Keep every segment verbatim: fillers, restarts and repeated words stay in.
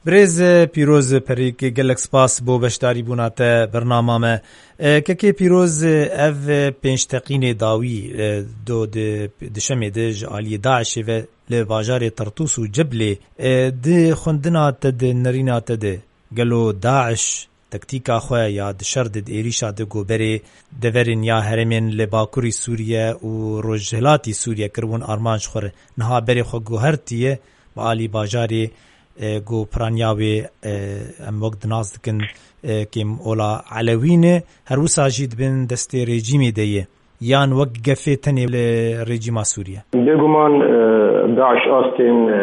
Birêz Pîroz Perîk, gelek spas bo beşdarîbûna te bernama me. E, Kekê Pîroz, ev pênc teqînê dawî, e, do di, di şemê de ji aliyê DAIŞê ve li bajarê Tertûs û Ciblê, e, di xwendina te de, nerîna te de, gelo DAIŞ tektîka xwe ya di şer de, di êrîşa de ku berê deverên ya herêmên li bakurî Sûriye û rojhilatî Sûriye kiribûn armanc xwe re, niha berê xwe guhertiye bi alî bajarê, e, ku piraniya wê, e, em wek di nas dikin, e, kêm ola Elewî ne, her wisa jî di bin destê rejîmê de ye, yan wek gefê tenê li rejîma Sûriye? Bêguman, e, DAIŞ astên, e,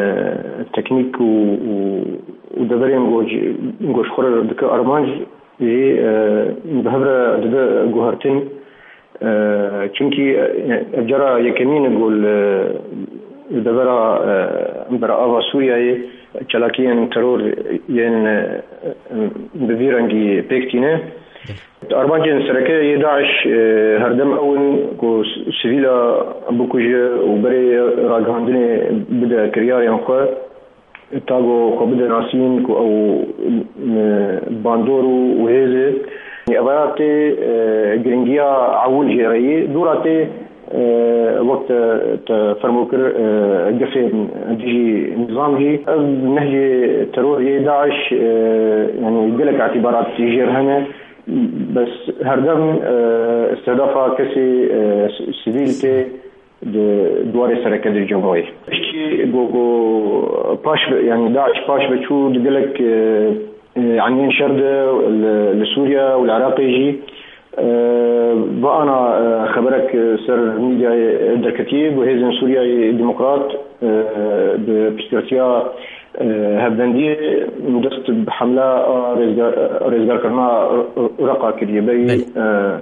teknîk û, û, û deverên ku ji, ku ji xwe re dike armanc jî, e, bi hev re dibe guhertin. E, çimkî, e, ev cara yekemîn e ku li, li devera, e, berava Sûriyeyê çalakiyên teror yên, e, bi vî rengî pêk tîne. Armancên sereke yê DAIŞ, e, herdem ew in ku s-, sivîla bikuje û berê ragihandinê bide kiryarên xwe, ta ku xwe bide nasîn ku ew, e, bandor û, û hêz e. Evaya tê, e, giringiya ewil jê re yê, dû ra tê, e, wek te, te fermo kir, e, gefên dijî nizam jî. Ev nehjê teror yê DAIŞ, e, yanî gelek îtîbarat jê re hene. Bes herdem, e, istedafa kesê, e, s-, sivîl tê di duwarê sereke di Cemûyê. Piştî ku, ku paş ve, yanî DAIŞ paş ve çû di gelek, e, e, aniyên şer de li, li Sûriye û li Iraqê jî, e, va ana, e, xeberek ser mîdyayê derketiye ku hêzên Sûriyeyê Demokrat, e, bi piştgirtiya, e, hevbendiyê dest bi hemla a rêzgar-, rêzgarkirina Iraqa kiriye. Berî, Belê. e,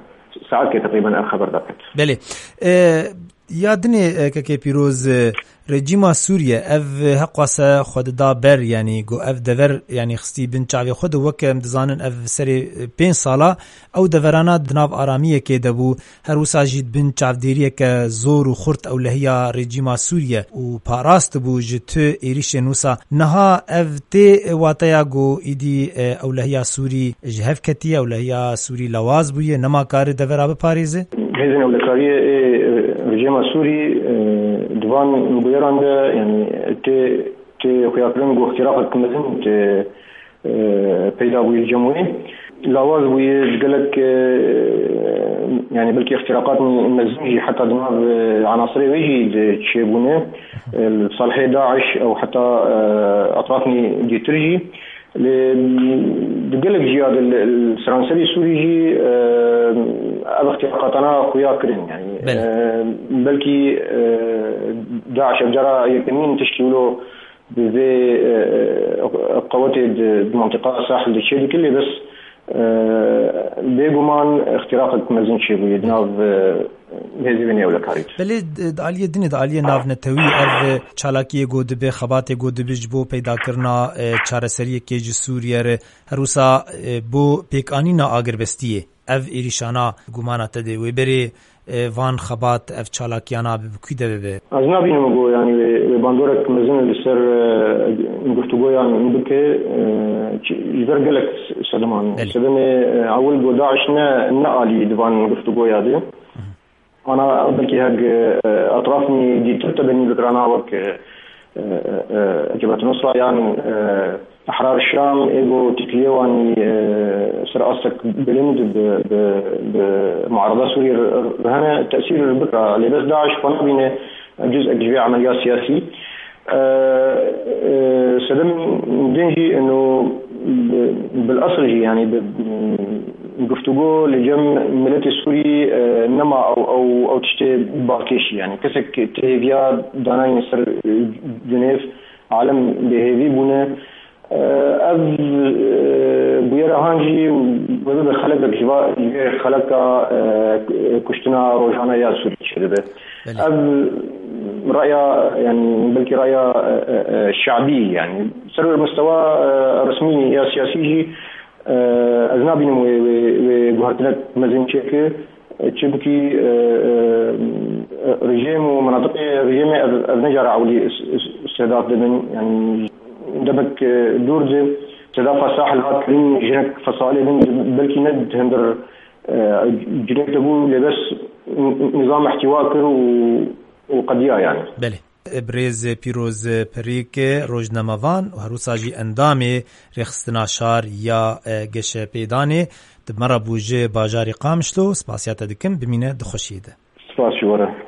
saetkê teqrîben ev xeber derket. Belê. E, ya dinê, e, Kekê Pîroz, e, rejîma Sûriye ev heqwase xwe dida ber, yanî ku ev dever, yanî xistî bin çavê xwe de, weke em dizanin ev serê, e, pênc sala ew deverana di nav aramiyekê de bû. Her wisa jî di bin çavdêriyeke zor û xurt ewlehiya rejîma Sûriye û parastibû ji tu êrîşên wisa. Niha ev tê wateya ku îdî, e, ewlehiya Sûrî ji hev ketiye, ewlehiya Sûrî lawaz bûye, nema kare devera biparêze? Hêzên ewlekariyê ê, e, rejîma Sûrî, e, di van bûyeran de, yanî tê, tê xuyakirin ku îxtiraqek mezin tê, e, peyda bûye li Cemûyê. Lawaz bûye di gelek, e, yanî belkî îxtiraqatên mezin jî heta di nav, e, anasirê wê jî di çêbûne, e, li salihê DAIŞ ew heta, e, etrafên dîtir jî. Lê di gelek ciya de li, li seranserî Sûrî jî, e, ev îxtiraqatana xuya kirin. Yanî, Belê. e, belkî, e, DAIŞ ev cara yekemîn tiştî wilo bi vê, e, e, qewetê di, di mentiqa Sahil de çêdike, lê bes, e, bêguman îxtiraqek mezin çêbûye di nav, e, hêzê wê nêewlekarî de. Belê, di, di aliyê dinê, di aliyê navnetewî ev, e, çalakiyê ku dibe, xebatê ku dibe ji bo peydakirina, e, çareseriyekê ji Sûriye re, her wisa, e, bo pêkanîna agirbestiyê. Ev êrîşana gumana te de wê berê, e, van xebat, ev çalakiyana bi, bi kû de bibe? Ez nabînim ku, yanî, wê, wê bandorek mezin li ser, e, guftûgoyan bike, e, çi, ji ber gelek s-, sedeman. Belê. Sedemê, e, ewil ku DAIŞ ne, ne alî di van guftûgoya de. Ana belkî hek, e, etrafên dîtir te benî bikirana wek, e, e, e, Cebhet Nusra yan, e, Ehrar Şam, ê ku têkiliyê wan, e, ser astek bilind bi, bi, bi muarada Sûriyê re, re hene, tesîr bikira. Lê bes DAIŞ xwe nabîne cuz'ek ji vê emeliya siyasî. E, e, sedem din jî eno bi, bil esil jî, yanî bi, guftûgo li cem miletê Sûrî, e, nema ew, ew, ew tiştê balkêşî, yanî kesek tê hêviya danayî ser, e, Cinêv, alem bêhêvî bûne. E, ev, e, bûyera han jî wê bibe xelekek ji va, ji vê xeleka, e, kuştina rojane ya Sûrî çêdibe. Belê. Ev raya, yanî belkî raya, e, e, e, şabî, yanî ser mistewa, e, resmî ya siyasî jî, e, ez nabînim wê, wê, wê guhertinek mezin çêke. Çimkî, e, e, rejîm û menatiqê rejîmê ev, ev ne cara ewilî s-, s-, sedat dibin. Yanî Demek, e, dûr di sedafa sahil hat kirin, jinek fesalê din, belkî ne di hundir, e, cinek de bû, lê bes nizam ihtiwa kir û, û qediya yani. Belê. Birêz Pîroz Perîk, rojnamevan û herwisa jî endamê Rêxistina Şar ya, e, Geşepêdanê, di me re bû ji bajarê Qamişlo, spasiya te dikim, bimîne di xweşiyê de. Spas ji we re.